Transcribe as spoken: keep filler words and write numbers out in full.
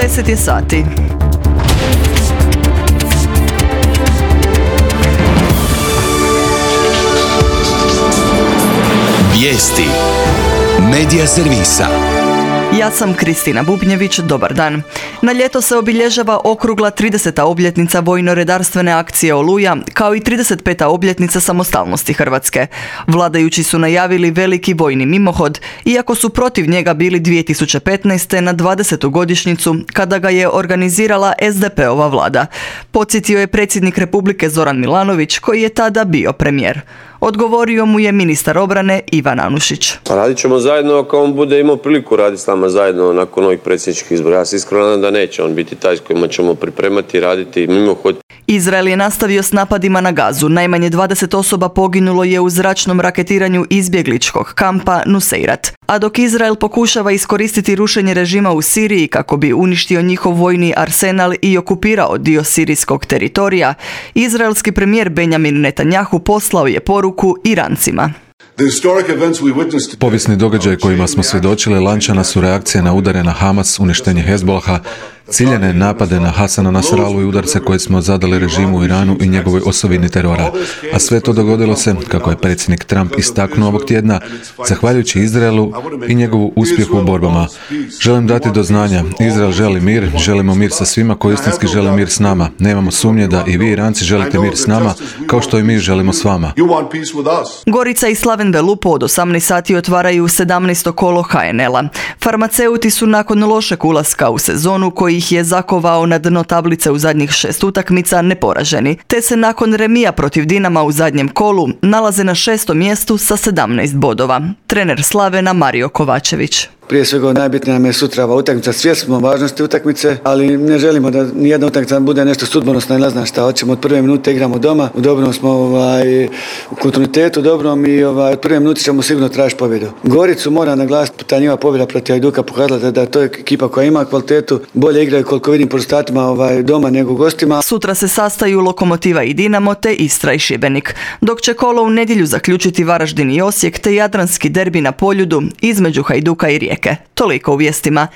deset je sati. Vijesti Medija servisa. Ja sam Kristina Bubnjević, dobar dan. Na ljeto se obilježava okrugla trideseta obljetnica vojno-redarstvene akcije Oluja, kao i trideset peta obljetnica samostalnosti Hrvatske. Vladajući su najavili veliki vojni mimohod, iako su protiv njega bili dvije tisuće petnaeste. na dvadesetu godišnjicu, kada ga je organizirala es de pe ova vlada. Podsjetio je predsjednik Republike Zoran Milanović, koji je tada bio premijer. Odgovorio mu je ministar obrane Ivan Anušić. Pa radit ćemo zajedno ako on bude imao priliku raditi s nama zajedno nakon ovih predsjedničkih izbora. Ja se iskreno nadam da neće on biti taj s kojima ćemo pripremati i raditi mimohod. Izrael je nastavio s napadima na Gazu. Najmanje dvadeset osoba poginulo je u zračnom raketiranju izbjegličkog kampa Nuseirat. A dok Izrael pokušava iskoristiti rušenje režima u Siriji kako bi uništio njihov vojni arsenal i okupirao dio sirijskog teritorija, izraelski premijer Benjamin Netanjahu poslao je poruku Irancima. Povijesni događaj kojima smo svjedočili lančana su reakcije na udare na Hamas, uništenje Hezbolaha, ciljene napade na Hasana Nasralu i udarce koje smo zadali režimu u Iranu i njegovoj osovini terora. A sve to dogodilo se, kako je predsjednik Trump istaknuo ovog tjedna, zahvaljujući Izraelu i njegovu uspjehu u borbama. Želim dati do znanja, Izrael želi mir, želimo mir sa svima koji istinski žele mir s nama. Nemamo sumnje da i vi Iranci želite mir s nama, kao što i mi želimo s vama. Gorica i Slaven Belupo od osamnaest sati otvaraju sedamnaesto kolo ha en el-a. Farmaceuti su nakon lošeg ulaska u sezonu koji ih je zakovao na dno tablice u zadnjih šest utakmica neporaženi, te se nakon remija protiv Dinama u zadnjem kolu nalaze na šestom mjestu sa sedamnaest bodova. Trener Slavena Mario Kovačević. Prije svega najbitnija nam je sutra ova utakmica. Svjesni smo važnosti utakmice, ali ne želimo da nijedna utakmica bude nešto sudbonosno i ne znam šta. Hoćemo od prve minute igramo doma, u dobrom smo ovaj, u kontinuitetu dobrom i ovaj, od prve minute ćemo sigurno tražiti pobjedu. Goricu mora naglasiti, ta njihova pobjeda protiv Hajduka pokazala da, da to je ekipa koja ima kvalitetu, bolje igraju koliko vidim po rezultatima ovaj, doma nego gostima. Sutra se sastaju Lokomotiva i Dinamo te Istra i Šibenik, dok će kolo u nedjelju zaključiti Varaždin i Osijek te jadranski derbi na Poljudu između Hajduka i Rijeke. Toliko u vijestima.